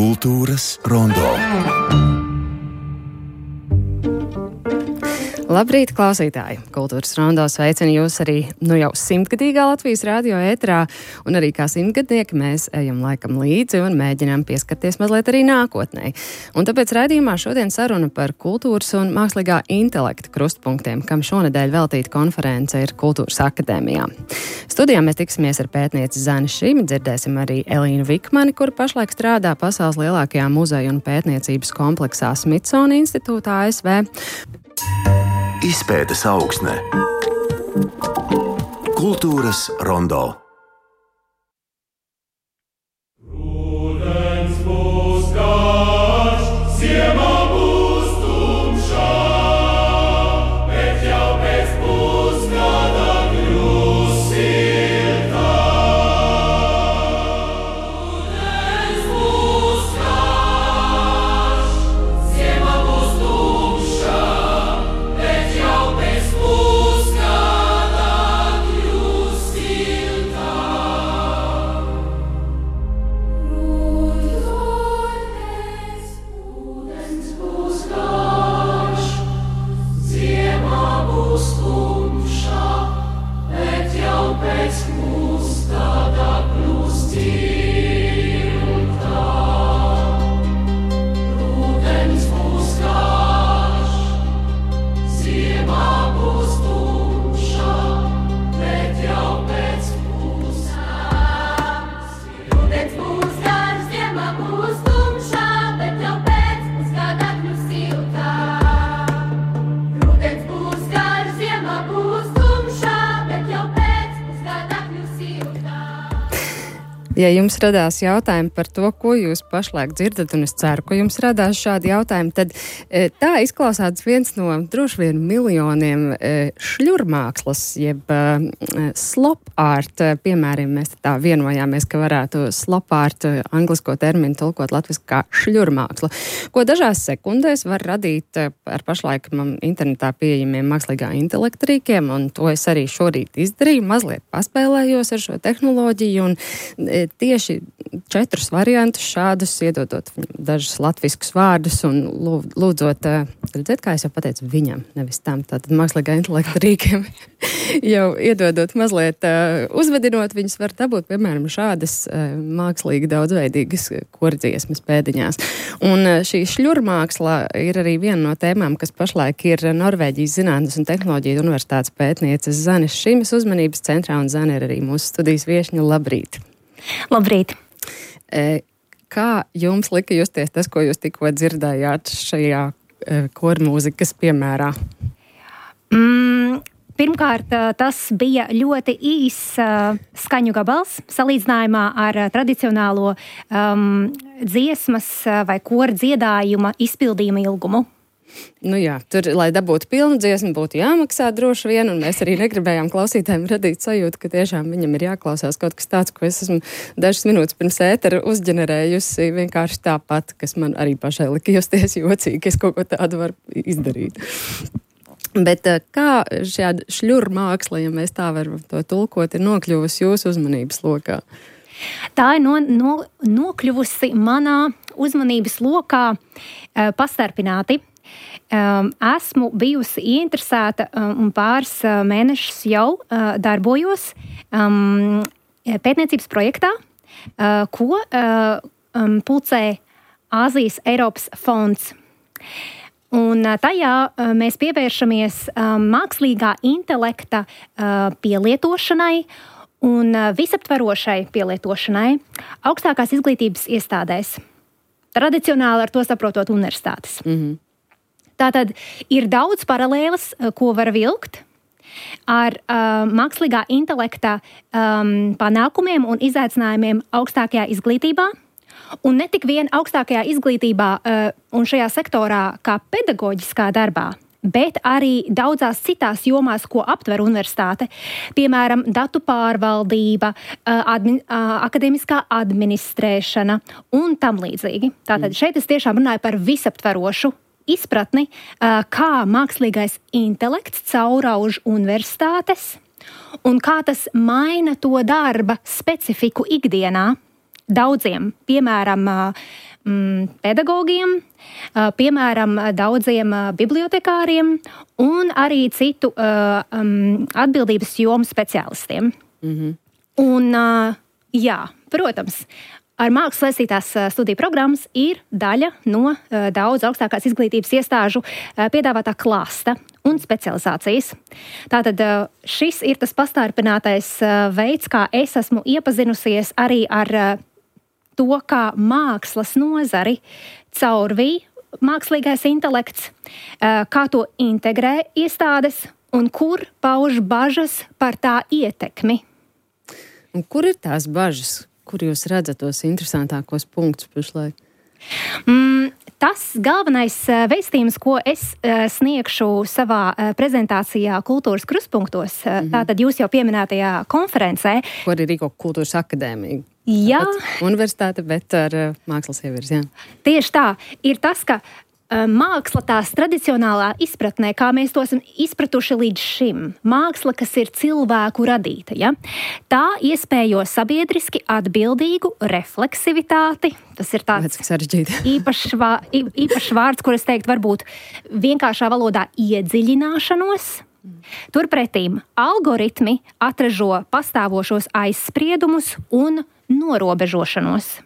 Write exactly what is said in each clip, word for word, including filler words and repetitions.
Kultūras rondo. Labrīt, klausītāji! Kultūras rondo sveicina jūs arī nu jau simtgadīgā Latvijas radio ētrā, un arī kā simtgadnieki mēs ejam laikam līdzi un mēģinām pieskarties mazliet arī nākotnē. Un tāpēc raidījumā šodien saruna par kultūras un mākslīgā intelekta krustpunktiem, kam šonedēļ veltīta konference ir Kultūras akadēmijā. Studijā mēs tiksimies ar pētnieci Zani Šimi, dzirdēsim arī Elīnu Vikmani, kura pašlaik strādā pasaules lielākajā muzeja un pētniecības kompleksā Smithsonian institūtā A S V. Izpētes augsne. Kultūras rondo. Ja jums radās jautājumi par to, ko jūs pašlaik dzirdat, un es ceru, ka jums radās šādi jautājumi, tad e, tā izklausās viens no droši vien miljoniem e, šļurmākslas, jeb e, slop art, piemēram, mēs tā vienojāmies, ka varētu slop art anglisko terminu tulkot latviski kā šļurmāksla, ko dažās sekundēs var radīt ar pašlaik internetā pieejamiem mākslīgā intelekta rīkiem, un to es arī šorīt izdarīju, mazliet paspēlējos ar šo tehnoloģiju, un e, tieši četrus variantus šādus, iedodot dažus latviskus vārdus un lūdzot, redzēt, kā es jau pateicu, viņam, nevis tam, tātad mākslīgā intelekta rīkiem, jau iedodot mazliet uzvedinot, viņus var dabūt, piemēram, šādas mākslīgi daudzveidīgas kordziesmas pēdiņās. Un šī šļurmāksla ir arī viena no tēmām, kas pašlaik ir Norvēģijas Zinātnes un tehnoloģiju universitātes pētnieces Zanes Šimes uzmanības centrā, un Zane ir arī mūsu studijas viešņa. Labrīt! Labrīt! E, kā jums lika justies tas, ko jūs tikko dzirdējāt šajā e, kormūzikas piemērā? Mm, pirmkārt, tas bija ļoti īs uh, skaņu gabals salīdzinājumā ar uh, tradicionālo um, dziesmas uh, vai kora dziedājuma izpildījuma ilgumu. Nu jā, tur, lai dabūtu pilnu dziesmu, būtu jāmaksā droši vien, un mēs arī negribējām klausītājiem radīt sajūtu, ka tiešām viņam ir jāklausās kaut kas tāds, ko es esmu dažas minūtes pirms ētera uzģenerējusi vienkārši tāpat, kas man arī pašai lika justies jocīgi, ka es kaut ko tādu varu izdarīt. Bet kā šāda šļurmāksla, ja mēs tā varam to tulkot, ir nokļuvusi jūsu uzmanības lokā? Tā ir no, no, nokļuvusi manā uzmanības lokā uh, pastarpināti. Um, esmu bijusi ieinteresēta um, un pāris uh, mēnešus jau uh, darbojos um, pētniecības projektā, uh, ko uh, um, pulcē Āzijas Eiropas fonds. Un uh, tajā uh, mēs pievēršamies uh, mākslīgā intelekta uh, pielietošanai un uh, visaptverošai pielietošanai augstākās izglītības iestādēs. Tradicionāli ar to saprotot universitātes. Mm-hmm. Tātad ir daudz paralēlas, ko var vilkt ar uh, mākslīgā intelekta um, panākumiem un izaicinājumiem augstākajā izglītībā. Un ne tik vien augstākajā izglītībā uh, un šajā sektorā kā pedagoģiskā darbā, bet arī daudzās citās jomās, ko aptver universitāte. Piemēram, datu pārvaldība, admin, akadēmiskā administrēšana un tam līdzīgi. Tātad šeit es tiešām runāju par visaptverošu izpratni, kā mākslīgais intelekts caurauž universitātes un kā tas maina to darba specifiku ikdienā daudziem, piemēram, mm, pedagogiem, uh, piemēram, daudziem uh, bibliotekāriem un arī citu uh, um, atbildības jomu speciālistiem. Mm-hmm. Un, uh, jā, protams, ar mākslas saistītās studiju programmas ir daļa no uh, daudz augstākās izglītības iestāžu uh, piedāvātā klāsta un specializācijas. Tātad uh, šis ir tas pastarpinātais uh, veids, kā es esmu iepazinusies arī ar uh, to, kā mākslas nozari caurvīja mākslīgais intelekts, uh, kā to integrē iestādes un kur pauž bažas par tā ietekmi. Un kur ir tās bažas? Kur jūs redzat tos interesantākos punktus pašlaik? Mm, tas galvenais vēstījums, ko es uh, sniegšu savā uh, prezentācijā Kultūras krustpunktos, uh, mm-hmm. tātad jūs jau pieminētajā konferencē. Ko arī Rīgo kultūras akadēmija. Jā. Tāpat universitāte, bet ar uh, mākslas ievirs, jā. Tieši tā. Ir tas, ka māksla tās tradicionālā izpratnē, kā mēs to esam izpratuši līdz šim. Māksla, kas ir cilvēku radīta, ja? Tā iespējo sabiedriski atbildīgu refleksivitāti. Tas ir tāds īpašs, vā, īpašs vārds, kur es teiktu varbūt vienkāršā valodā iedziļināšanos. Turpretīm algoritmi atražo pastāvošos aizspriedumus un norobežošanos.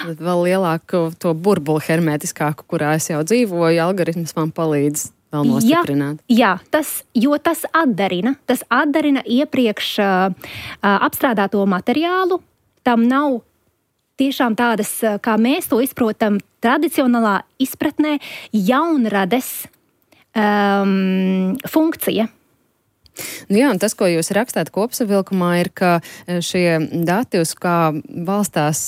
Vēl lielāku to burbuli hermētiskāku, kurā es jau dzīvoju, algoritms man palīdz vēl nostiprināt. Jā, jā tas, jo tas atdarina, tas atdarina iepriekš uh, apstrādāto materiālu, tam nav tiešām tādas, kā mēs to izprotam, tradicionālā izpratnē jaunrades um, funkcija. Nu jā, un tas, ko jūs rakstāt kopsavilkumā, ir, ka šie dati, uz kā balstās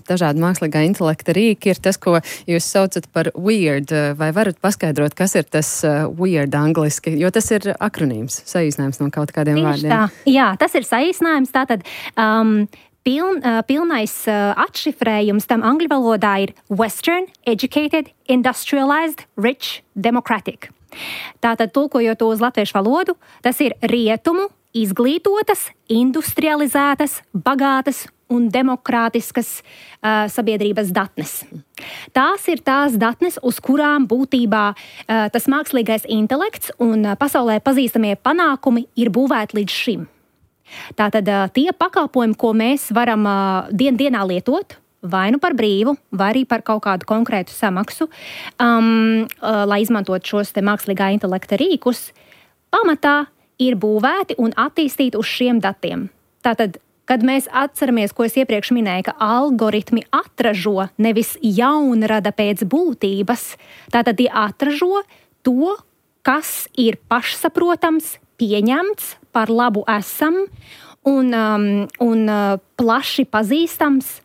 dažādi mākslīgā intelekta rīki, ir tas, ko jūs saucat par weird. Vai varat paskaidrot, kas ir tas weird angliski? Jo tas ir akronīms, saīsinājums no kaut kādiem Tieši vārdiem. Tā. Jā, tas ir saīsinājums. Tātad um, piln, uh, pilnais uh, atšifrējums tam angļu valodā ir Western, Educated, Industrialized, Rich, Democratic. Tātad, tulkojot to uz latviešu valodu, tas ir rietumu, izglītotas, industrializētas, bagātas un demokrātiskas uh, sabiedrības datnes. Tās ir tās datnes, uz kurām būtībā uh, tas mākslīgais intelekts un uh, pasaulē pazīstamie panākumi ir būvēti līdz šim. Tātad uh, tie pakalpojumi, ko mēs varam uh, dien dienā lietot, vai nu par brīvu, vai arī par kaut kādu konkrētu samaksu, um, uh, lai izmantot šos te mākslīgā intelekta rīkus, pamatā ir būvēti un attīstīti uz šiem datiem. Tātad, kad mēs atceramies, ko es iepriekš minēju, ka algoritmi atražo nevis jaunrada pēc būtības, tātad tie atražo to, kas ir pašsaprotams, pieņemts, par labu esam un, um, un uh, plaši pazīstams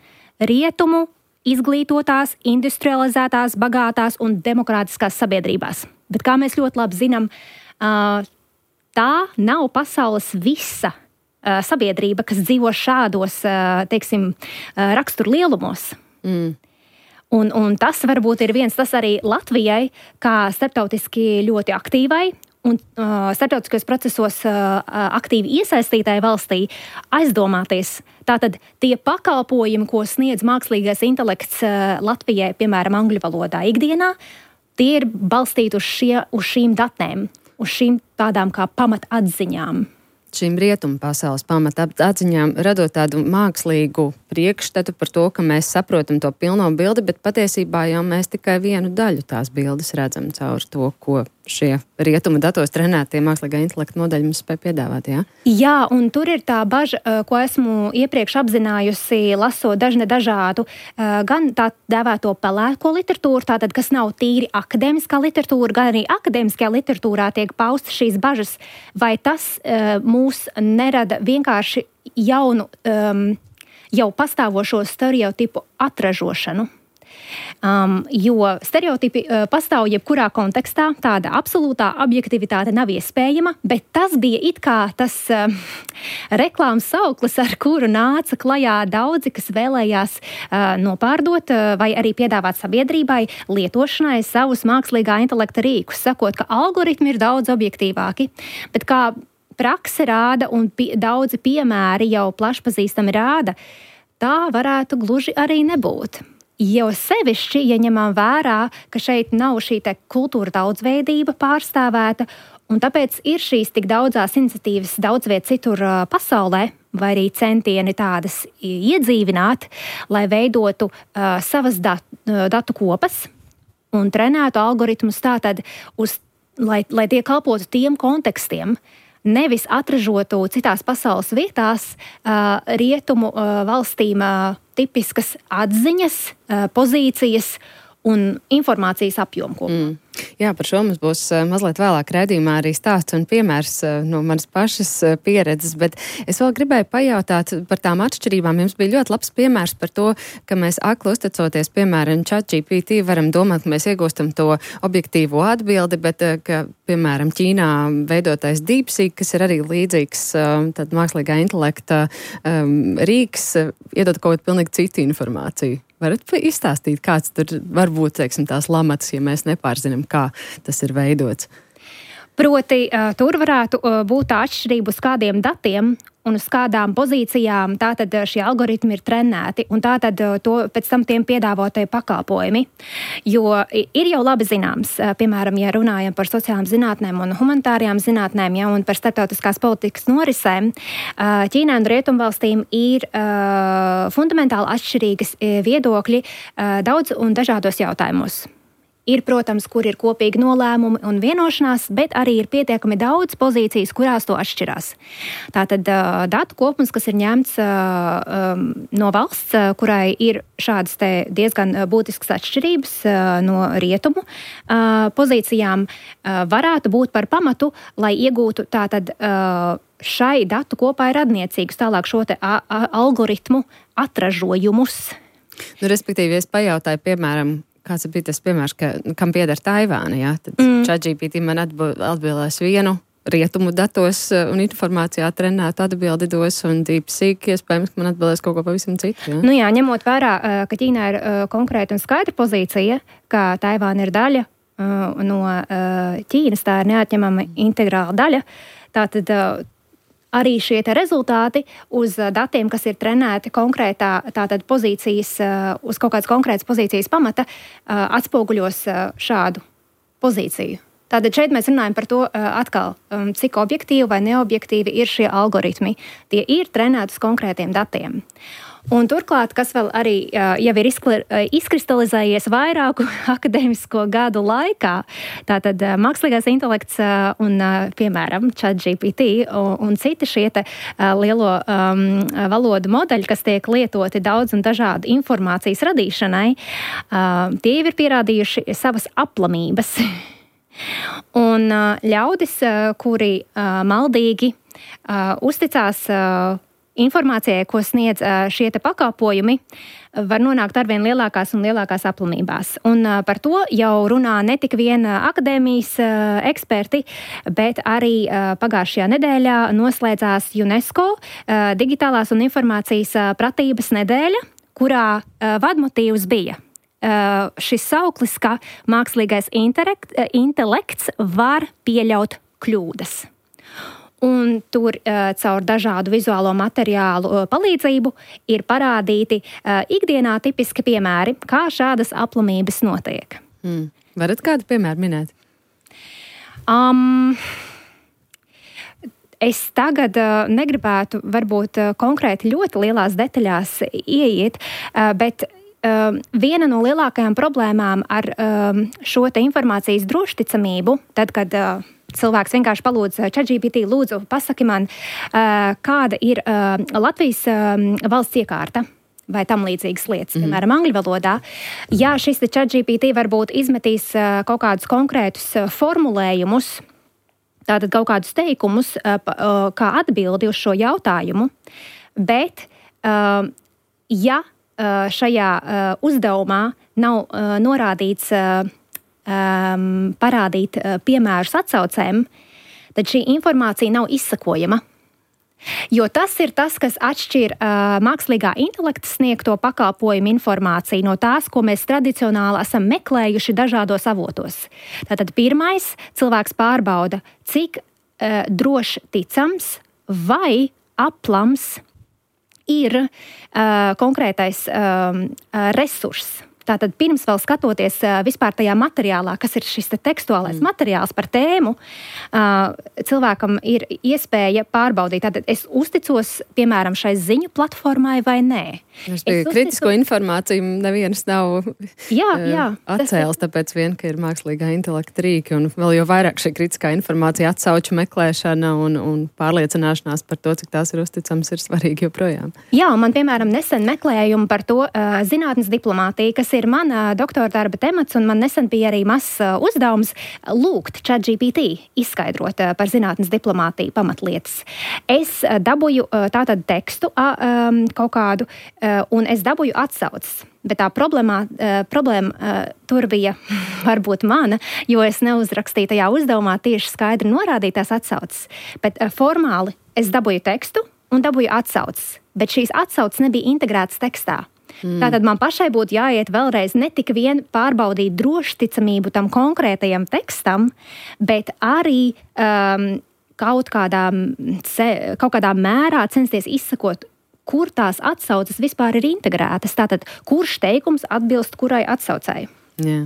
rietumu, izglītotās, industrializētās, bagātās un demokrātiskās sabiedrībās. Bet, kā mēs ļoti labi zinām, tā nav pasaules visa sabiedrība, kas dzīvo šādos, teiksim, raksturu lielumos. Mm. Un, un tas varbūt ir viens, tas arī Latvijai, kā starptautiski ļoti aktīvai un uh, starptautiskos procesos uh, aktīvi iesaistītai valstī aizdomāties. Tātad tie pakalpojumi, ko sniedz mākslīgais intelekts uh, Latvijai, piemēram, angļu valodā ikdienā, tie ir balstīti uz, šie, uz šīm datnēm, uz šīm tādām kā pamatatziņām. Šīm rietumu pasaules pamatapziņām, radot tādu mākslīgu priekšstatu par to, ka mēs saprotam to pilno bildi, bet patiesībā jau mēs tikai vienu daļu tās bildes redzam caur to, ko šie rietumu datos trenētie mākslīgā intelekta modeļi mums spēj piedāvāt, jā? Jā, un tur ir tā baža, ko esmu iepriekš apzinājusi, lasot dažne dažādu, gan tā dēvēto pelēko literatūru, tātad, kas nav tīri akadēmiskā literatūra, gan arī akadēmiskajā literatūrā tiek paustas šīs bažas, vai tas mūs nerada vienkārši jaunu, um, jau pastāvošo stereotipu atražošanu. Um, jo stereotipi uh, pastāv jebkurā kontekstā, tāda absolūtā objektivitāte nav iespējama, bet tas bija it kā tas uh, reklāmas sauklis, ar kuru nāca klajā daudzi, kas vēlējās uh, nopārdot uh, vai arī piedāvāt sabiedrībai lietošanai savus mākslīgā intelekta rīkus, sakot, ka algoritmi ir daudz objektīvāki, bet kā prakse rāda un pie, daudzi piemēri jau plašpazīstami rāda, tā varētu gluži arī nebūt. jau sevišķi, ja ņemam vērā, ka šeit nav šī te kultūra daudzveidība pārstāvēta, un tāpēc ir šīs tik daudzās iniciatīvas daudz viet citur pasaulē, vai arī centieni tādas iedzīvināt, lai veidotu uh, savas dat, datu kopas un trenētu algoritmus tātad, uz, lai, lai tie kalpotu tiem kontekstiem, nevis atražotu citās pasaules vietās uh, rietumu uh, valstīm uh, tipiskas atziņas, uh, pozīcijas un informācijas apjomu kopumā. Mm. Jā, par šo mums būs uh, mazliet vēlāk raidījumā arī stāsts un piemērs uh, no manas pašas uh, pieredzes, bet es vēl gribēju pajautāt par tām atšķirībām. Jums bija ļoti labs piemērs par to, ka mēs akli uzticoties, piemēram, ChatGPT, varam domāt, ka mēs iegūstam to objektīvo atbildi, bet, uh, ka, piemēram, Ķīnā veidotais DeepSeek, kas ir arī līdzīgs uh, tad mākslīgā intelekta um, rīks, uh, iedod kaut kādu pilnīgi citu informāciju. Varat izstāstīt, kāds tur var būt, teiksim, tās lamatas, ja mēs nepārzinām, kā tas ir veidots? Proti, tur varētu būt tā atšķirība uz kādiem datiem un uz kādām pozīcijām tātad šie algoritmi ir trenēti, un tātad to pēc tam tiem piedāvotie pakalpojumi. Jo ir jau labi zināms, piemēram, ja runājam par sociālām zinātnēm un humanitārajām zinātnēm, ja, un par starptautiskās politikas norisēm, Ķīnai un Rietumvalstīm ir uh, fundamentāli atšķirīgas viedokļi uh, daudz un dažādos jautājumos. Ir, protams, kur ir kopīgi nolēmumi un vienošanās, bet arī ir pietiekami daudz pozīcijas, kurās to atšķirās. Tātad uh, datu kopums, kas ir ņemts uh, um, no valsts, uh, kurai ir šādas te diezgan būtiskas atšķirības uh, no rietumu uh, pozīcijām, uh, varētu būt par pamatu, lai iegūtu tātad uh, šai datu kopai radniecīgus tālāk šo te a, a, algoritmu atražojumus. Nu, respektīvi, es pajautāju, piemēram, kāds bija tas piemērs, ka, kam pieder Taivāna, jā? Tad mm. ChatGPT man atbildēs vienu rietumu datos un informācijā trenētu atbildi dos, un DeepSeek iespējams, ka man atbildēs kaut ko pavisam citu. Jā? Nu jā, ņemot vērā, ka Ķīnā ir konkrēta un skaidra pozīcija, ka Taivāna ir daļa no Ķīnas, tā ir neatņemama integrāla daļa, tātad arī šie te rezultāti uz datiem, kas ir trenēti konkrētā tātad pozīcijas, uz kaut kādas konkrētas pozīcijas pamata, atspoguļos šādu pozīciju. Tātad šeit mēs runājam par to atkal, cik objektīvi vai neobjektīvi ir šie algoritmi. Tie ir trenēti uz konkrētiem datiem. Un turklāt, kas vēl arī jau ir izkristalizējies vairāku akadēmisko gadu laikā, tātad mākslīgais intelekts un, piemēram, ChatGPT un, un citi šie te lielo um, valodu modeļi, kas tiek lietoti daudz un dažādu informācijas radīšanai, uh, tie jau ir pierādījuši savas aplamības. Un uh, ļaudis, uh, kuri uh, maldīgi uh, uzticās uh, informācijai, ko sniedz šie te pakalpojumi, var nonākt arvien lielākās un lielākās aplamībās. Un par to jau runā ne tik vien akadēmijas eksperti, bet arī pagājušajā nedēļā noslēdzās UNESCO digitālās un informācijas pratības nedēļa, kurā vadmotīvs bija šis sauklis, ka mākslīgais intelekts var pieļaut kļūdas. Un tur uh, caur dažādu vizuālo materiālu uh, palīdzību ir parādīti uh, ikdienā tipiski piemēri, kā šādas aplamības notiek. Mm. Varat kādu piemēru minēt? Um, es tagad uh, negribētu varbūt uh, konkrēti ļoti lielās detaļās ieiet, uh, bet uh, viena no lielākajām problēmām ar uh, šo te informācijas drošticamību, tad, kad uh, cilvēks vienkārši palūdz ChatGPT, lūdzu, pasaki man, kāda ir Latvijas valsts iekārta vai tam līdzīgas lietas, mm. piemēram, angļu valodā. Ja šis ChatGPT varbūt izmetīs kaut kādus konkrētus formulējumus, tātad kaut kādus teikumus, kā atbildi uz šo jautājumu, bet ja šajā uzdevumā nav norādīts Um, parādīt uh, piemērus atsaucēm, tad šī informācija nav izsakojama. Jo tas ir tas, kas atšķir uh, mākslīgā intelekta sniegto pakalpojumu informāciju no tās, ko mēs tradicionāli esam meklējuši dažādos avotos. Tātad pirmais, cilvēks pārbauda, cik uh, droši ticams vai aplams ir uh, konkrētais um, uh, resurss. Tātad pirms vēl skatoties uh, vispār tajā materiālā, kas ir šis te tekstuālais mm. materiāls par tēmu, uh, cilvēkam ir iespēja pārbaudīt, tātad es uzticos, piemēram, šai ziņu platformai vai nē. Es uzticu... Kritisko informāciju nevienas nav jā, jā, atcēlis, tāpēc vien, ka ir mākslīgā intelekta rīki, un vēl jau vairāk šī kritiskā informācija atsauču meklēšana un, un pārliecināšanās par to, cik tās ir uzticams, ir svarīgi joprojām. Jā, un man, piemēram, nesen meklējumu par to uh, zinātnes diplomātija, kas ir mana doktora darba temats, un man nesen bija arī mazs uh, uzdevums lūgt ChatGPT izskaidrot uh, par zinātnes diplomātiju pamatlietas. Es uh, dabūju uh, tātad tekstu uh, um, kaut kādu, uh, un es dabūju atsauces. Bet tā problēma, uh, problēma uh, tur bija varbūt mana, jo es neuzrakstīju tajā uzdevumā tieši skaidri norādītās atsauces. Bet uh, formāli es dabūju tekstu un dabūju atsauces, bet šīs atsauces nebija integrētas tekstā. Mm. Tātad man pašai būtu jāiet vēlreiz ne tik vien pārbaudīt drošticamību tam konkrētajam tekstam, bet arī um, kaut kādā, kaut kādā mērā censties izsakot, kur tās atsauces vispār ir integrētas. Tātad, kurš teikums atbilst kurai atsaucēji. Jā.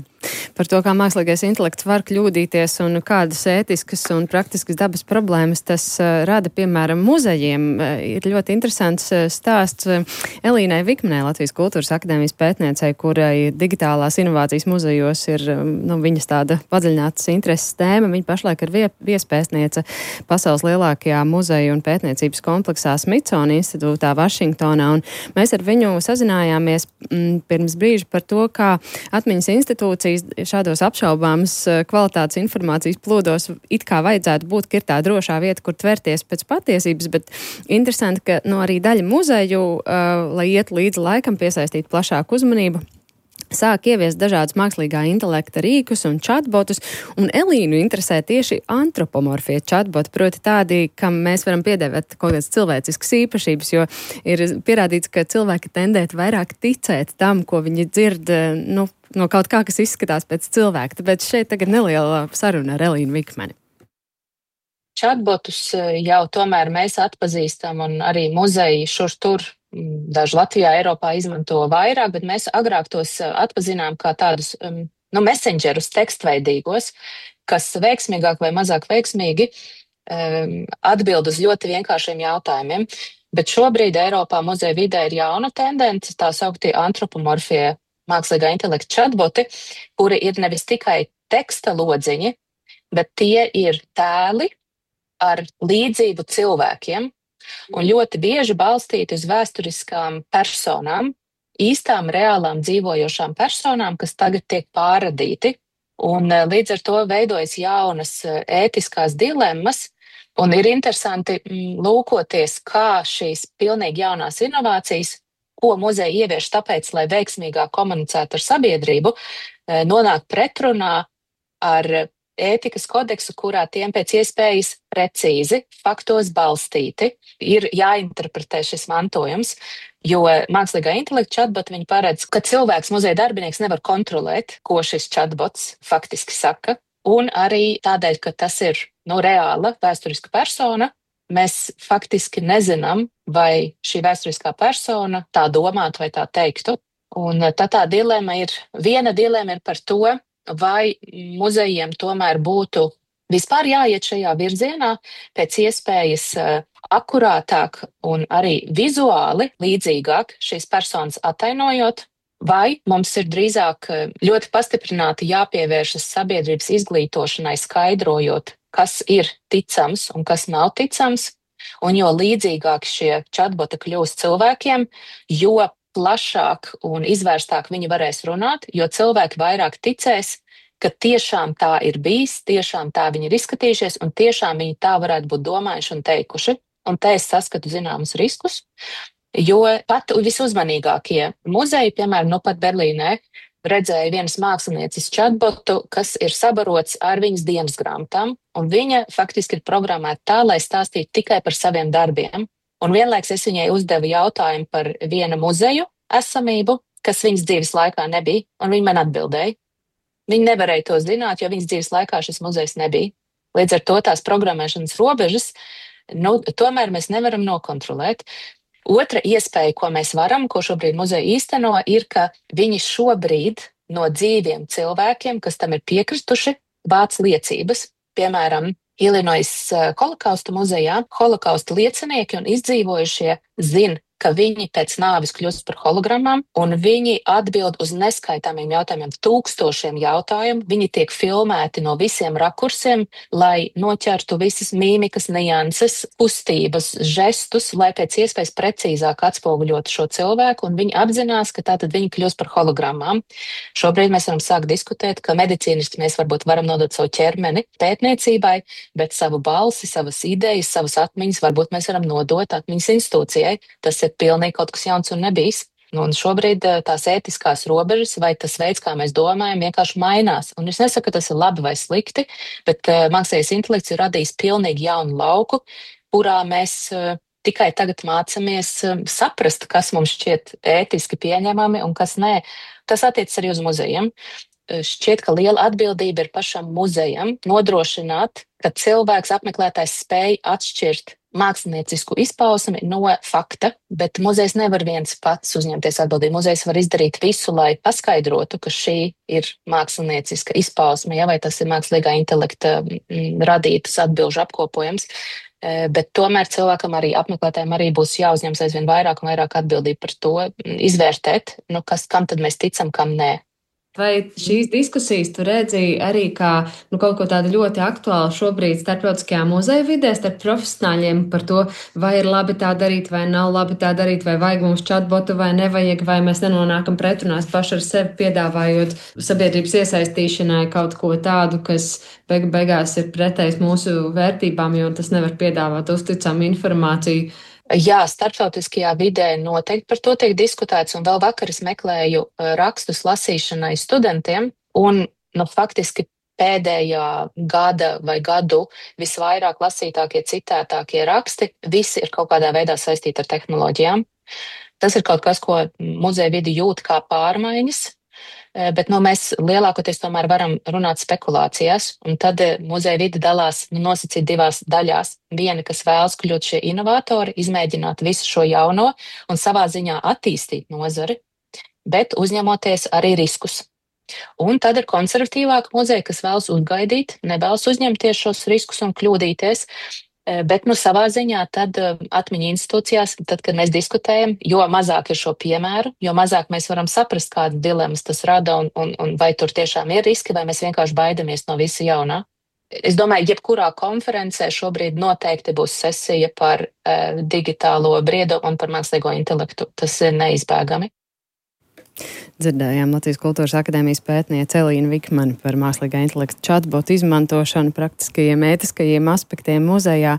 Par to, kā mākslīgais intelekts var kļūdīties un kādas ētiskas un praktiskas dabas problēmas tas uh, rada, piemēram, muzejiem. Uh, ir ļoti interesants uh, stāsts uh, Elīnai Vikmanai, Latvijas Kultūras akadēmijas pētniecei, kurai digitālās inovācijas muzejos ir um, nu, viņas tāda padziļinātas intereses tēma. Viņa pašlaik ir vie, viespētniece pasaules lielākajā muzeju un pētniecības kompleksā Smithsonian institūtā Vašingtonā. Un mēs ar viņu sazinājāmies mm, pirms brīža par to, kā atmiņas institūcija šādos apšaubāmas kvalitātes informācijas plūdos it kā vajadzētu būt, ka ir tā drošā vieta, kur tverties pēc patiesības, bet interesanti, ka no arī daļa muzeju, uh, lai iet līdzi laikam, piesaistīt plašāku uzmanību, sāk ieviest dažādus mākslīgā intelekta rīkus un chatbotus, un Elīnu interesē tieši antropomorfie chatboti, proti tādi, kam mēs varam piedēvēt kaut kādas cilvēciskas īpašības, jo ir pierādīts, ka cilvēki tendētu vairāk ticēt tam, ko viņi dzird, nu, no kaut kā, kas izskatās pēc cilvēka. Tāpēc šeit tagad neliela saruna ar Elīnu Vikmani. Chatbotus jau tomēr mēs atpazīstam, un arī muzeji šur tur daži Latvijā, Eiropā izmanto vairāk, bet mēs agrāk tos atpazinām kā tādus nu, messengerus tekstveidīgos, kas veiksmīgāk vai mazāk veiksmīgi um, atbild uz ļoti vienkāršiem jautājumiem. Bet šobrīd Eiropā muzeja vidē ir jauna tendence, tā sauktie antropomorfie mākslīgā intelekta chatboti, kuri ir nevis tikai teksta lodziņi, bet tie ir tēli ar līdzību cilvēkiem, un ļoti bieži balstīti uz vēsturiskām personām, īstām, reālām dzīvojošām personām, kas tagad tiek pārradīti. Un līdz ar to veidojas jaunas ētiskās dilemmas, un ir interesanti lūkoties, kā šīs pilnīgi jaunās inovācijas, ko muzeja ievieš tāpēc, lai veiksmīgāk komunicētu ar sabiedrību, nonāk pretrunā ar ētikas kodeksu, kurā tiem pēc iespējas precīzi, faktos balstīti, ir jāinterpretē šis mantojums, jo mākslīgā intelekta chatbot viņi paredz, ka cilvēks, muzeja darbinieks nevar kontrolēt, ko šis chatbots faktiski saka, un arī tādēļ, ka tas ir nu, reāla vēsturiska persona, mēs faktiski nezinām, vai šī vēsturiskā persona tā domātu vai tā teiktu. Un tā tā dilema ir, viena dilema ir par to, vai muzejiem tomēr būtu vispār jāiet šajā virzienā, pēc iespējas akurātāk un arī vizuāli līdzīgāk šīs personas atainojot, vai mums ir drīzāk ļoti pastiprināti jāpievēršas sabiedrības izglītošanai, skaidrojot, kas ir ticams un kas nav ticams, un jo līdzīgāk šie chatboti kļūst cilvēkiem, jo plašāk un izvērstāk viņi varēs runāt, jo cilvēki vairāk ticēs, ka tiešām tā ir bijis, tiešām tā viņi ir izskatījušies un tiešām viņi tā varētu būt domājuši un teikuši. Un te es saskatu zināmus riskus, jo pat visuzmanīgākie muzeji, piemēram, nu pat Berlīnē, redzēja vienas mākslinieces chatbotu, kas ir sabarots ar viņas dienas grāmatām, un viņa faktiski ir programmēta tā, lai stāstītu tikai par saviem darbiem. Un vienlaiks es viņai uzdevu jautājumu par vienu muzeju esamību, kas viņas dzīves laikā nebija, un viņa man atbildēja. Viņa nevarēja to zināt, jo viņas dzīves laikā šis muzejs nebija. Līdz ar to tās programmēšanas robežas, nu, tomēr mēs nevaram nokontrolēt. Otra iespēja, ko mēs varam, ko šobrīd muzeja īsteno, ir, ka viņi šobrīd no dzīviem cilvēkiem, kas tam ir piekristuši, vāc liecības. Piemēram, Illinois holokausta muzejā holokausta liecinieki un izdzīvojušie zina, ka viņi pēc nāves kļūst par hologrammām, un viņi atbild uz neskaitāmiem jautājumiem, tūkstošiem jautājumu. Viņi tiek filmēti no visiem rakursiem, lai noķertu visas mīmikas, nianses, kustības, žestus, lai pēc iespējas precīzāk atspoguļotu šo cilvēku, un viņi apzinās, ka tātad viņi kļūst par hologrammām. Šobrīd mēs varam sākt diskutēt, ka medicīniski mēs varbūt varam nodot savu ķermeni pētniecībai, bet savu balsi, savas idejas, savas atmiņas varbūt mēs varam nodot atmiņas institūcijai. Tas ir pilnīgi kaut kas jauns un nebijis. Nu, un šobrīd tās ētiskās robežas vai tas veids, kā mēs domājam, vienkārši mainās. Un es nesaku, ka tas ir labi vai slikti, bet uh, mākslīgais intelekts ir radījis pilnīgi jaunu lauku, kurā mēs uh, tikai tagad mācamies uh, saprast, kas mums šķiet ētiski pieņemami un kas nē. Tas attiecas arī uz muzejiem. Uh, šķiet, ka liela atbildība ir pašam muzejam nodrošināt, ka cilvēks apmeklētājs spēj atšķirt māksliniecisku izpausmi no fakta, bet muzejs nevar viens pats uzņemties atbildību. Muzejs var izdarīt visu, lai paskaidrotu, ka šī ir mākslinieciska izpausme, ja, vai tas ir mākslīgā intelekta m, radītas atbilžu apkopojums. E, bet tomēr cilvēkam arī apmeklētājiem arī būs jāuzņems aizvien vairāk un vairāk atbildību par to, izvērtēt, nu, kas, kam tad mēs ticam, kam nē. Vai šīs diskusijas tu redzēji arī kā nu, kaut ko tādu ļoti aktuālu šobrīd starptautiskajā muzeja vidē, starp profesionāļiem par to, vai ir labi tā darīt, vai nav labi tā darīt, vai vajag mums chatbotu, vai nevajag, vai mēs nenonākam pretrunās paši ar sevi, piedāvājot sabiedrības iesaistīšanai kaut ko tādu, kas beig beigās ir pretējs mūsu vērtībām, jo tas nevar piedāvāt uzticamu informāciju. Jā, starptautiskajā vidē noteikti par to tiek diskutēts, un vēl vakar es meklēju rakstus lasīšanai studentiem, un nu, faktiski pēdējā gada vai gadu visvairāk lasītākie, citētākie raksti, visi ir kaut kādā veidā saistīti ar tehnoloģijām. Tas ir kaut kas, ko muzeja vidi jūt kā pārmaiņas, bet nu, mēs lielākoties tomēr varam runāt spekulācijās, un tad muzeja vidi dalās nu, nosacīt divās daļās. Viena, kas vēlas kļūt šie inovatori, izmēģināt visu šo jauno un savā ziņā attīstīt nozari, bet uzņemoties arī riskus. Un tad ir konservatīvāka muzeja, kas vēlas uzgaidīt, nevēlas uzņemties šos riskus un kļūdīties, bet nu, savā ziņā tad atmiņu institūcijās, tad, kad mēs diskutējam, jo mazāk ir šo piemēru, jo mazāk mēs varam saprast, kādas dilemmas tas rada un, un, un vai tur tiešām ir riski, vai mēs vienkārši baidamies no visa jaunā. Es domāju, jebkurā konferencē šobrīd noteikti būs sesija par uh, digitālo briedumu un par mākslīgo intelektu. Tas ir neizbēgami. Dzirdējām Latvijas Kultūras akadēmijas pētniece Elīna Vikmane par mākslīgā intelekta chatbotu izmantošanu praktiskajiem, ētiskajiem aspektiem muzejā,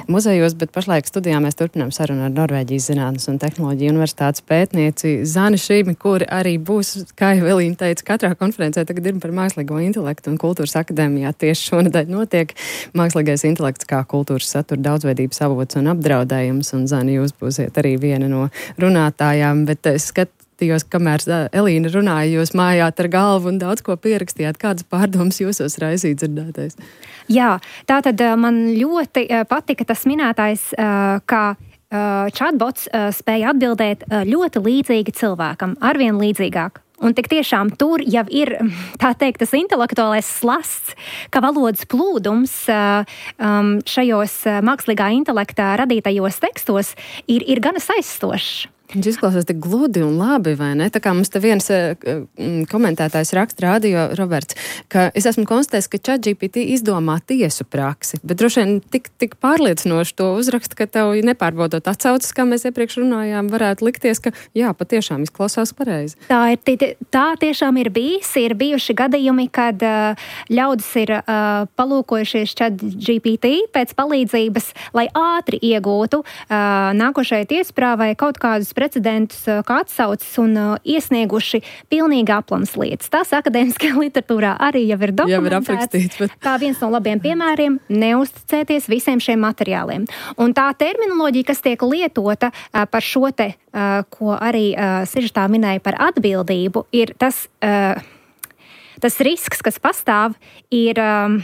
muzejos, bet pašlaik studijā mēs turpinām sarunu ar Norvēģijas Zinātnes un tehnoloģiju universitātes pētnieci Zani Šīmi, kuri arī būs, kā jau Elīna teica, katrā konferencē tagad ir par mākslīgo intelektu, un Kultūras akadēmijā tieši šonedēļ notiek mākslīgais intelekts kā kultūras satura daudzveidības avots un apdraudējums, un Zani, jūs būsiet arī viena no runātājām, bet es skat Tījos, kamēr Elīna runāja, jūs mājāt ar galvu un daudz ko pierakstījāt. Kādas pārdomas jūsos raisīja dzirdētais? Jā, tātad man ļoti patika tas minētais, ka chatbots spēja atbildēt ļoti līdzīgi cilvēkam, arvien līdzīgāk. Un tik tiešām tur jau ir, tā teikt, tas intelektuālais slasts, ka valodas plūdums šajos mākslīgā intelekta radītajos tekstos ir, ir gana aizstošs. Viņš izklausās tik gludi un labi, vai ne? Tā kā mums te viens uh, komentētājs raksta rādio, Roberts, ka es esmu konstatējis, ka ChatGPT izdomā tiesu praksi, bet droši vien tik, tik pārliecinoši to uzraksta, ka tev nepārbaudot atsaucas, kā mēs iepriekš runājām, varētu likties, ka jā, patiešām izklausās pareizi. Tā, ir, tā tiešām ir bijis. Ir bijuši gadījumi, kad uh, ļaudis ir uh, palūkojušies ChatGPT pēc palīdzības, lai ātri iegūtu uh, nākošajai tiesprāvai kaut kādus precedentus, kā atsaucas un uh, iesnieguši pilnīgi aplams lietas. Tas akadēmiskajā literatūrā arī jau ir dokumentēts. Bet... Kā viens no labiem piemēriem, neuzticēties visiem šiem materiāliem. Un tā terminoloģija, kas tiek lietota uh, par šo te, uh, ko arī uh, sižetā minēja par atbildību, ir tas, uh, tas risks, kas pastāv, ir... Um,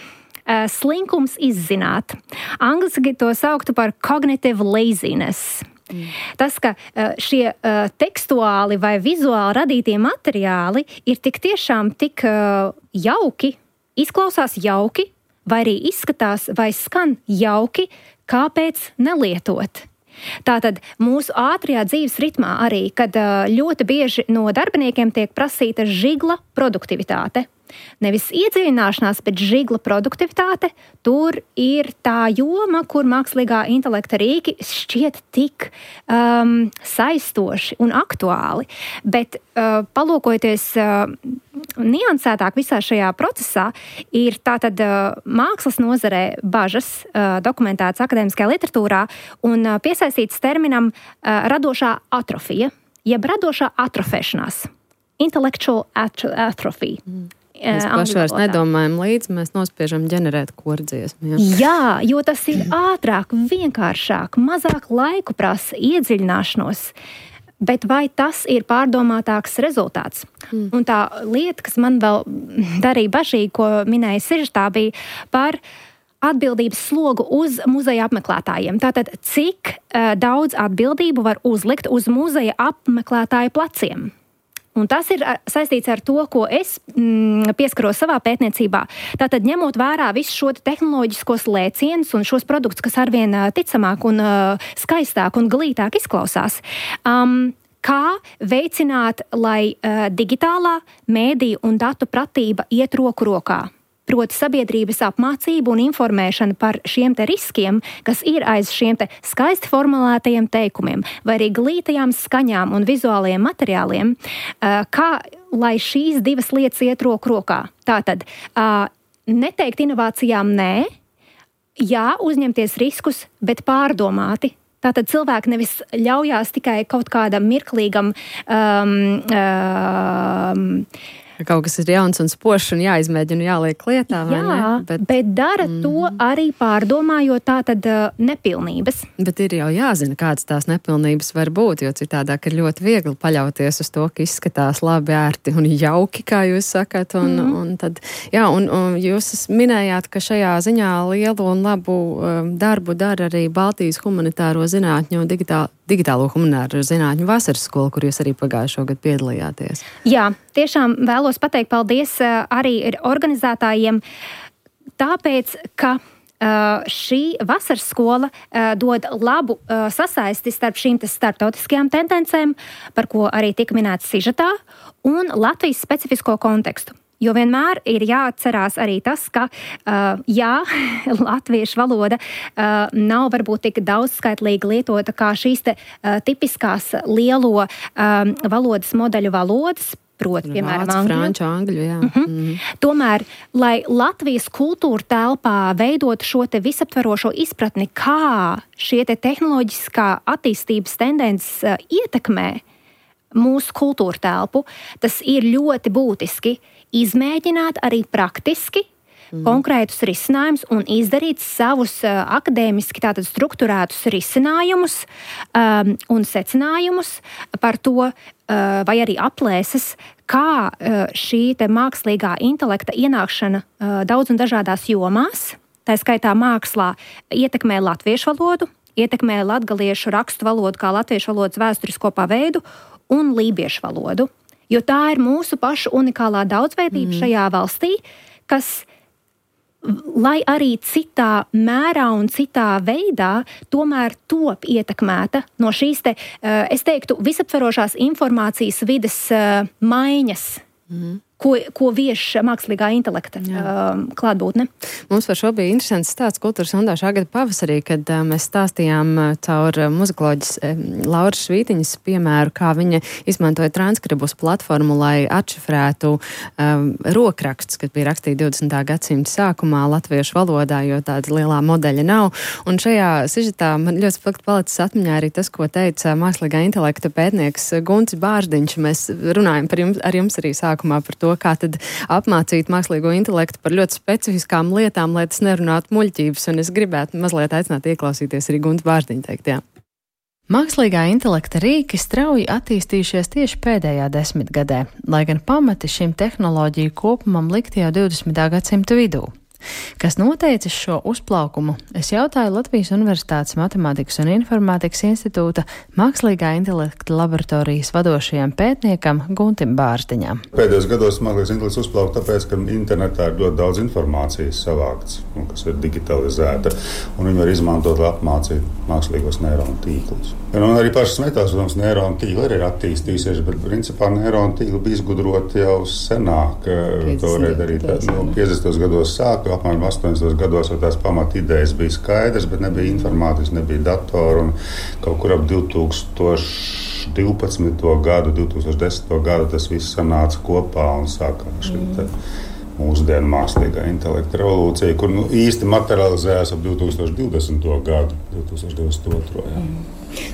slinkums izzināt. Angliski to sauktu par cognitive laziness. Mm. Tas, ka šie tekstuāli vai vizuāli radītie materiāli ir tik tiešām tik jauki, izklausās jauki, vai arī izskatās vai skan jauki, kāpēc nelietot. Tātad mūsu ātrajā dzīves ritmā arī, kad ļoti bieži no darbiniekiem tiek prasīta žigla produktivitāte. Nevis iedziļināšanās, bet žigla produktivitāte, tur ir tā joma, kur mākslīgā intelekta rīki šķiet tik um, saistoši un aktuāli. Bet uh, palūkojoties uh, niansētāk visā šajā procesā, ir tātad uh, mākslas nozarē bažas uh, dokumentētas akadēmiskajā literatūrā un uh, piesaistīts terminam uh, radošā atrofija, jeb radošā atrofēšanās. Intellectual atrophy. Mm. Mēs paši vairs nedomājam līdzi, mēs nospiežam ģenerēt kordziesmu. Jā. jā, jo tas ir ātrāk, vienkāršāk, mazāk laiku prasa iedziļināšanos. Bet vai tas ir pārdomātāks rezultāts? Mm. Un tā lieta, kas man vēl darīja bažīgi, ko minēja Sižetā, bija par atbildības slogu uz muzeja apmeklētājiem. Tātad, cik uh, daudz atbildību var uzlikt uz muzeja apmeklētāju pleciem? Un tas ir saistīts ar to, ko es mm, pieskaros savā pētniecībā. Tātad, ņemot vērā visu šo tehnoloģiskos lēcienus un šos produktus, kas arvien ticamāk un uh, skaistāk un glītāk izklausās, um, kā veicināt, lai uh, digitālā mēdīju un datu pratība iet roku rokā. Proti sabiedrības apmācību un informēšanu par šiem te riskiem, kas ir aiz šiem te skaisti formulētajiem teikumiem, vai arī glītajām skaņām un vizuālajiem materiāliem, kā lai šīs divas lietas iet roku rokā. Tātad, neteikt inovācijām nē, jā, uzņemties riskus, bet pārdomāti. Tātad cilvēki nevis ļaujās tikai kaut kādam mirklīgam um, um, kaut kas ir jauns un spošs un jāizmēģina, jāliek lietā, vai jā, ne? Bet, bet dara mm. to arī pārdomājot tātad uh, nepilnības. Bet ir jau jāzina, kādas tās nepilnības var būt, jo citādāk ir ļoti viegli paļauties uz to, ka izskatās labi, ērti un jauki, kā jūs sakat. Un, mm. un tad, jā, un, un jūs minējāt, ka šajā ziņā lielu un labu um, darbu dara arī Baltijas humanitāro zinātņu un digitālo, digitālo humanitāro zinātņu vasaras skola, kur jūs arī pagājušo gadu piedalījāties. Jā, tiešām vēlos pateikt paldies uh, arī organizētājiem, tāpēc, ka uh, šī vasaras skola uh, dod labu uh, sasaisti starp šīm starptautiskajām tendencēm, par ko arī tika minēts Sižetā, un Latvijas specifisko kontekstu. Jo vienmēr ir jāatcerās arī tas, ka, uh, jā, latviešu valoda uh, nav varbūt tik daudzskaitlīgi lietota kā šīs te uh, tipiskās lielo um, valodas modeļu valodas, proti, piemēram, angļu. Franču, angļu, jā. Uh-huh. Mm-hmm. Tomēr, lai Latvijas kultūra telpā veidot šo te visaptverošo izpratni, kā šie te tehnoloģiskā attīstības tendences uh, ietekmē mūsu kultūra telpu, tas ir ļoti būtiski izmēģināt arī praktiski mm. konkrētus risinājumus un izdarīt savus uh, akadēmiski tātad strukturētus risinājumus um, un secinājumus par to, uh, vai arī aplēses, kā uh, šī te mākslīgā intelekta ienākšana uh, daudz un dažādās jomās, tā skaitā mākslā, ietekmē latviešu valodu, ietekmē latgaliešu rakstu valodu kā latviešu valodas vēsturisko paveidu un lībiešu valodu. Jo tā ir mūsu pašu unikālā daudzveidība mm. šajā valstī, kas, lai arī citā mērā un citā veidā, tomēr top ietekmēta no šīs te, es teiktu, visaptverošās informācijas vides maiņas, mm. ko, ko vieš mākslīgā intelekta uh, klātbūtne. Mums par šo bija interesants stāsts Kultūras Rundā šā gada pavasarī, kad uh, mēs stāstījām uh, caur uh, muzikoloģis uh, Lauras Švītiņas piemēru, kā viņa izmantoja transkribus platformu, lai atšifrētu um, rokrakstus, kad bija rakstīti divdesmitā gadsimta sākumā latviešu valodā, jo tāda lielā modeļa nav. Un šajā sižetā man ļoti spilgti palicis atmiņā arī tas, ko teica mākslīgā intelekta pētnieks Guntis Bārdiņš. Mēs runājam par jums, ar jums arī sākumā par to, kā tad apmācīt mākslīgo intelektu par ļoti specifiskām lietām, lai tas nerunātu muļķības, un es gribētu mazliet aicināt ieklausīties arī Gunta Bārdiņa teiktā. Mākslīgā intelekta rīki strauji attīstījušies tieši pēdējā desmitgadē, lai gan pamati šim tehnoloģiju kopumam likti jau divdesmitā gadsimta vidū. Kas noteicis šo uzplaukumu? Es jautāju Latvijas Universitātes Matemātikas un Informātikas institūta mākslīgā intelekta laboratorijas vadošajam pētniekam Guntim Bārziņam. Pēdējos gados mākslīgais intelekts uzplauka tāpēc, ka internetā ir ļoti daudz informācijas savākts, kas ir digitalizēta, un viņi var izmantot, lai apmācītu mākslīgos neironu tīklus. Un arī pašas metās, protams, neironu tīkli arī ir attīstījušies, bet principā neironu tīkli bija izgudroti jau senāk. To varēja darīt no piecdesmitos gados sāka, apmēram astoņdesmitos gados tās pamat idejas bija skaidrs, bet nebija informātikas, nebija datoru, un kaut kur ap divi tūkstoši divpadsmito gadu, divi tūkstoši desmito gadu tas viss sanāca kopā un sākās šī te mūsdienu mākslīgā intelekta revolūcija, kur nu, īsti materializējās ap divi tūkstoši divdesmito gadu, divi tūkstoši divdesmit otro Jā.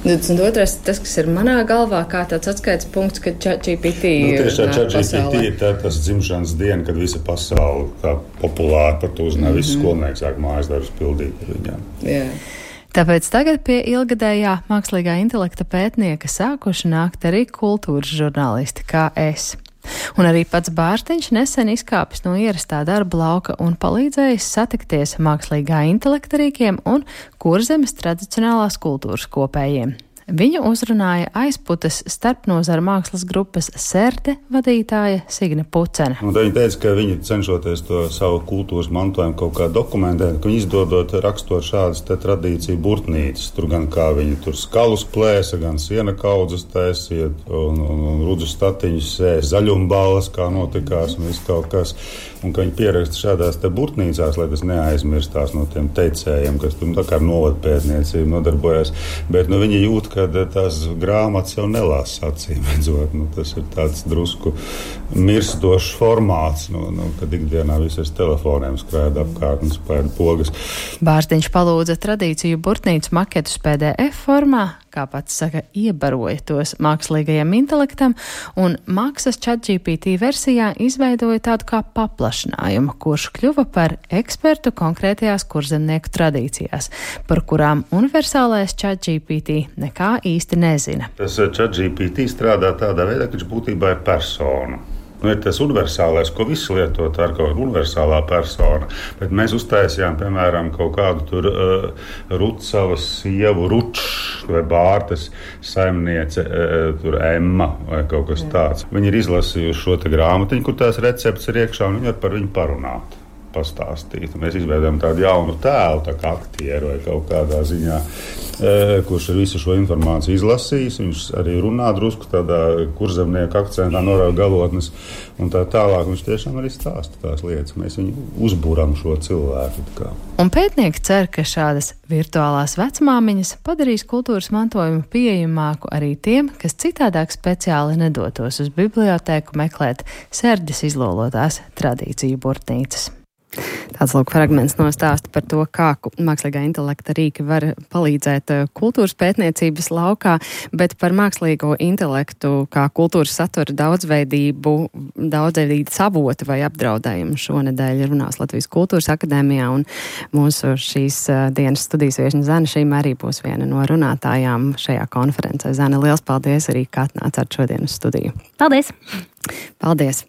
divdesmit otrais tas, kas ir manā galvā, kā tāds atskaites punkts, kad ChatGPT nu, tieši tā ChatGPT ir tā, tas dzimšanas diena, kad visa pasaule tā populāri par to uzzināja, mm-hmm. visi skolnieki sāk mājas darbus pildīt ar viņām. Jā. Tāpēc tagad pie ilgadējā mākslīgā intelekta pētnieka sākuši nākt arī kultūras žurnālisti kā es. Un arī pats Bārziņš nesen izkāpis no ierastā darba lauka un palīdzējis satikties mākslīgā intelekta rīkiem un Kurzemes tradicionālās kultūras kopējiem. Viņu uzrunāja Aizputes starpnozara mākslas grupas Serde vadītāja Signe Pucene. Un viņa teica, ka viņi cenšoties to savu kultūras mantojumu kaut kā dokumentēt, ka viņi izdodot, rakstot šādas te tradīciju burtnīcas. Tur gan kā viņi tur skalus plēsa, gan siena kaudzes taisiet un, un, un rudzu statiņus sēs, zaļumballes, kā notikās un viss kaut kas. Un ka viņi pieraksta šādās te burtnīcās, lai tas neaizmirstās no tiem teicējiem, kas tur tā kā ar novadpētniecību nodarbojas. Bet nu, viņi jūt, ka tās grāmatas jau nelasa acīm redzot. Nu, tas ir tāds drusku mirstošs formāts, nu, nu, kad ikdienā viss ar telefoniem skrēda apkārt un spēda pogas. Bārziņš palūdza tradīciju burtnīcu maketus P D F formā, kā pats saka, iebaroja tos mākslīgajam intelektam, un maksas ChatGPT versijā izveidoja tādu kā paplašinājumu, kurš kļuva par ekspertu konkrētajās kurzemnieku tradīcijās, par kurām universālais ChatGPT nekā īsti nezina. Tas ChatGPT strādā tādā veidā, ka viņš būtībā ir persona. Nu, ir tas universālais, ko visi lieto, tā ir kaut kāda universālā persona. Bet mēs uztaisījām, piemēram, kaut kādu tur uh, Rucavas sievu Ručs vai Bārtas saimniece, uh, tur Emma vai kaut kas tāds. Viņi ir izlasījuši šo te grāmatiņu, kur tās recepts ir iekšā, un viņi var par viņu parunāt, pastāstīt. Mēs izveidojam tādu jaunu tēlu, tā kā aktieru vai kaut kādā ziņā, e, kurš ar visu šo informāciju izlasījis. Viņš arī runā drusku tādā kurzemnieku akcentā, norauga galotnes un tā tālāk. Viņš tiešām arī stāsta tās lietas. Mēs viņu uzbūram šo cilvēku. Kā. Un pētnieki cer, ka šādas virtuālās vecmāmiņas padarīs kultūras mantojumu pieejamāku arī tiem, kas citādāk speciāli nedotos uz bibliotēku meklēt Serdes izlolotās tradīciju burtnīcas. Tāds lūk fragments no stāsta par to, kā mākslīgā intelekta rīki var palīdzēt kultūras pētniecības laukā, bet par mākslīgo intelektu kā kultūras satura daudzveidību, daudzveidības avotu vai apdraudējumu šonedēļ runās Latvijas Kultūras akadēmijā, un mūsu šīs dienas studijas viešņa Zana Šīma arī būs viena no runātājām šajā konferencē. Zana, liels paldies arī, ka atnācāt šodien uz studiju. Paldies! Paldies!